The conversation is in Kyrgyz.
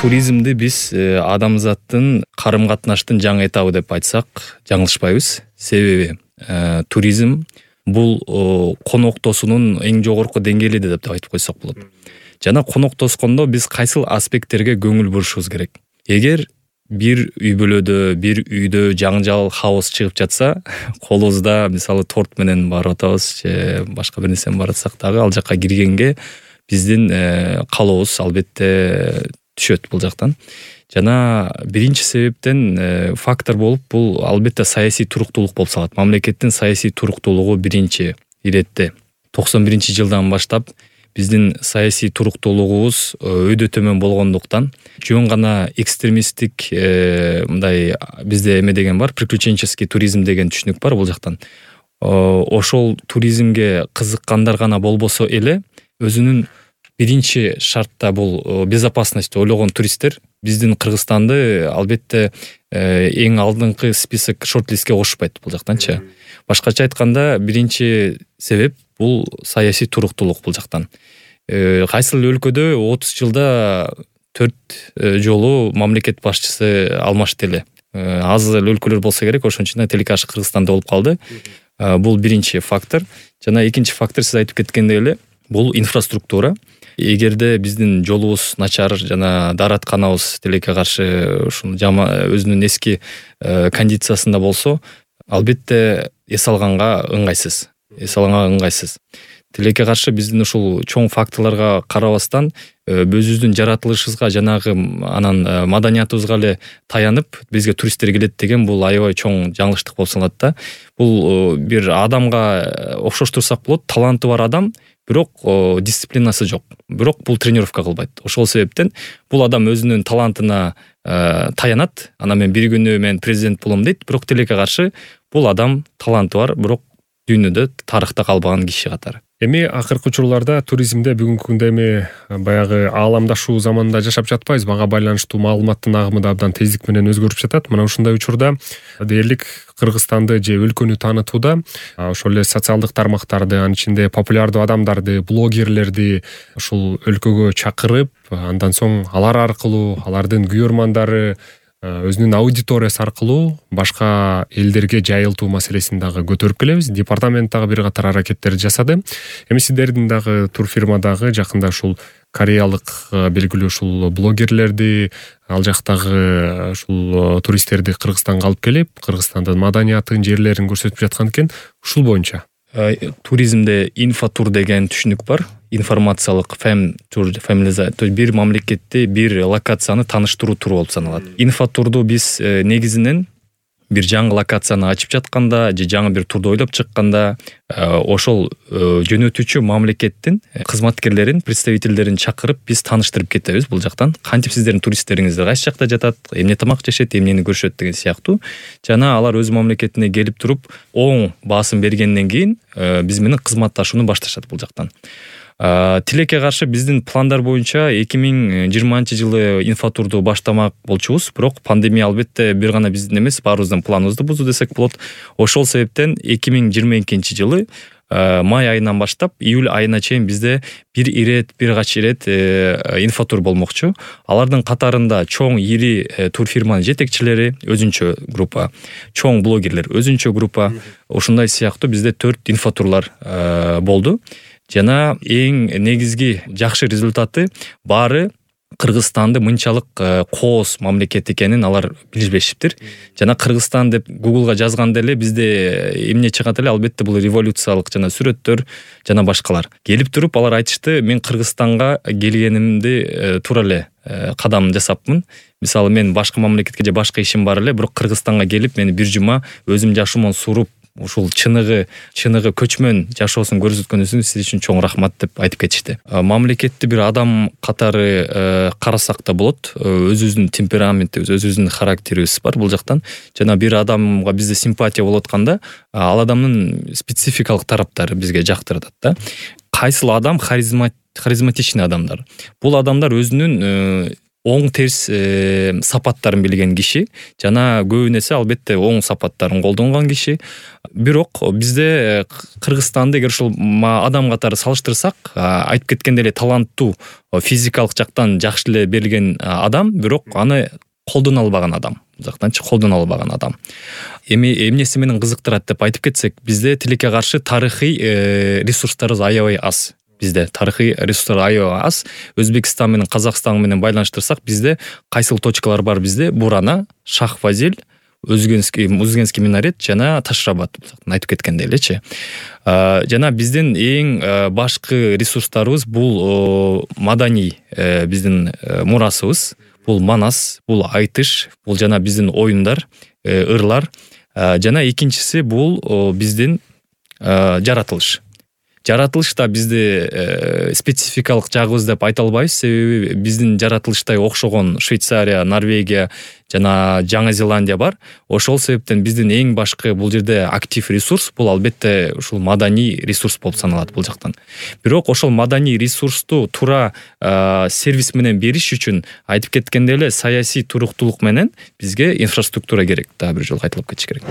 Туризмди биз адамзаттын карым-катнаштын жаңы этабы деп айтсак жаңылышпайбыз. Себеби туризм бул коноктосунун эң жогорку деңгээли деп айтып койсок болот. Жана коноктоскондо биз кайсыл аспекттерге көңүл бурушубуз керек. Эгер бир үй бүлөдө, бир үйдө жаңжал, хаос чыгып жатса, колубузда мисалы торт менен барып атабыз, же башка бир нерсе барып атсак дагы ал жакка киргенге биздин калообуз албетте түшөт бул жактан. Жана биринчи себептен фактор болуп бул албетте саясий туруктуулук болуп салат. Мамлекеттин саясий туруктуулугу биринчи иретте 91-жылдан баштап биздин саясий туруктуулугубуз өйдө төмөн болгондуктан жөн гана экстремисттик мындай бизде эме деген бар, приключенческий туризм деген түшүнүк бар бул жактан. Ошол туризмге кызыккандар гана болбосо эле өзүнүн биринчи шартта бул безопасность ойлогон туристтер биздин Кыргызстанды албетте эң алдыңкы список шорт-листке кошпойт бул жактанчы. Башкача айтканда биринчи себеп бул саясий туруктуулук бул жактан. Кайсыл өлкөдө 30 жылда 4 жолу мамлекет башчысы алмашты эле. Аз өлкөлөр болсо керек, ошончо телекаш Кыргызстанда болуп калды. Бул биринчи фактор. Жана экинчи фактор сиз айтып кеткендей эле бул инфраструктура. Эгерде биздин жолубуз начар жана дааратканабыз тилекке каршы ушул өзүнүн эски кондициясында болсо, албетте эс алганга ыңгайсыз. Тилекке каршы биздин ушул чоң факторлорго карабастан өзүбүздүн жаратылышыбызга жанагы анан маданиятыбызга эле таянып бизге туристтер келет деген бул аябай чоң жаңылыштык болуп саналат да. Бул бир адамга окшоштурсак болот, таланты бар адам, бирок дисциплинасы жок. Бирок бул тренировка кылбайт. Ошол себептен бул адам өзүнүн талантына таянат. Анан мен бир күнү мен президент болом дейт, бирок тилекке каршы бул адам таланты бар, бирок дүйнөдө тарыхта калбаган киши катары. Эми акыркы учурларда туризмде бүгүнкү күндө эми баягы ааламдашуу заманында жашап жатпайбыз. Мага байланыштуу маалыматтын агымы да абдан тездик менен өзгөрүп жатат. Мына ушундай учурда дээрлик Кыргызстанды же өлкөнү таанытууда ошол эле социалдык тармактарды, анын ичинде популярдуу адамдарды, блогерлерди ушул өлкөгө чакырып, андан соң алар аркылуу алардын күйөрмандары өзүнүн аудиториясы аркылуу башка элдерге жайылтуу маселесин дагы көтөрүп келебиз. Департамент дагы бир катар аракеттерди жасады. Эми сиздердин дагы турфирмадагы жакында ушул кореялык белгилүү ушул блогерлерди, ал жактагы ушул туристтерди Кыргызстанга алып келип, Кыргызстандын маданиятын, жерлерин көрсөтүп жаткан экен. Ушул боюнча туризмде инфотур деген түшүнүк бар. Информациялык тур, то есть бир мамлекетти, бир локацияны тааныштыруу туру болуп саналат. Инфотурду биз негизинен бир жаңы локацияны ачып жатканда же жаңы бир турду ойлоп чыкканда ошол жөнөтүүчү мамлекеттин кызматкерлерин, представительдерин чакырып биз тааныштырып кетебиз бул жактан. Кантип сиздердин туристтериңиз кайсы жакта жатат, эмне тамак жешет, эмнени көрүшөт деген сыяктуу. Жана алар өз мамлекетине келип туруп оң баасын бергенден кийин биз менен кызматташууну башташат бул жактан. Тилекке каршы биздин пландар боюнча 2020-жылы инфотурду баштамак болчубуз, бирок пандемия албетте бир гана биздин эмес, баарыбыздын планыбызды бузду десек болот. Ошол себептен 2022-жылы май айынан баштап июль айына чейин бизде бир кач ирет инфотур болмокчу. Алардын катарында чоң ири турфирманын жетекчилери өзүнчө группа, чоң блогерлер өзүнчө группа, ушундай сыяктуу бизде 4 инфотурлар болду. Жана эң негизги жакшы результаты баары Кыргызстанды мынчалык кооз мамлекет экенин алар билишпештиптир. Жана Кыргызстан деп Google'га жазганда эле бизде эмне чыгат эле, албетте бул революциялык жана сүрөттөр жана башкалар. Келип туруп алар айтышты, мен Кыргызстанга келгенимди туура эле кадам жасапмын. Мисалы мен башка мамлекетке же башка ишим бар эле, бирок Кыргызстанга келип мен бир жума өзүм жашоомон суруп ушул чыныгы көчмөн жашоосун көрсөткөнүңүз үчүн сиз үчүн чоң рахмат деп айтып кетишти. Мамлекетти бир адам катары карасак да болот. Өзүбүздүн темпераментибиз, өзүбүздүн характерибиз бар бул жактан. Жана бир адамга бизде симпатия болуп атканда, ал адамдын спецификалык тараптары бизге жактырат да. Кайсыл адам харизматичный адамдар. Бул адамдар өзүнүн оң терс сапаттарын билген киши жана көбүн эсе албетте оң сапаттарын колдонгон киши. Бирок бизде Кыргызстанды эгер ушул адам катары салыштырсак, айтып кеткендей эле таланттуу, физикалык жактан жакшы эле берилген адам, бирок аны колдоно албаган адам. Жактанчы колдоно албаган адам. Эмнеси менен кызыктырат деп айтып кетсек, бизде тилекке каршы тарыхый ресурстарыбыз аябай аз. Бизде тарыхый ресурстар аябай аз. Өзбекстан менен Казакстан менен байланыштырсак, бизде кайсыл точкалар бар бизде? Бурана, Шах-Фазил, Узгенский минарет жана Ташрабад айтып кеткендей элечи. Жана биздин эң башкы ресурстарыбыз бул маданий биздин мурасыбыз. Бул манас, бул айтыш, бул жана биздин оюндар, ырлар. Жана экинчиси бул биздин жаратылыш. Жаратылышта бизде спецификалык жагыбыз деп айта албайбыз, себеби биздин жаратылыштай окшогон Швейцария, Норвегия жана Жаңы Зеландия бар. Ошол себептен биздин эң башкы бул жерде актив ресурс бул албетте ушул маданий ресурс болуп саналат бул жактан. Бирок ошол маданий ресурсту туура сервис менен бериш үчүн айтып кеткендей эле саясий туруктуулук менен бизге инфраструктура керек. Дагы бир жолу кайталап кетиш керек.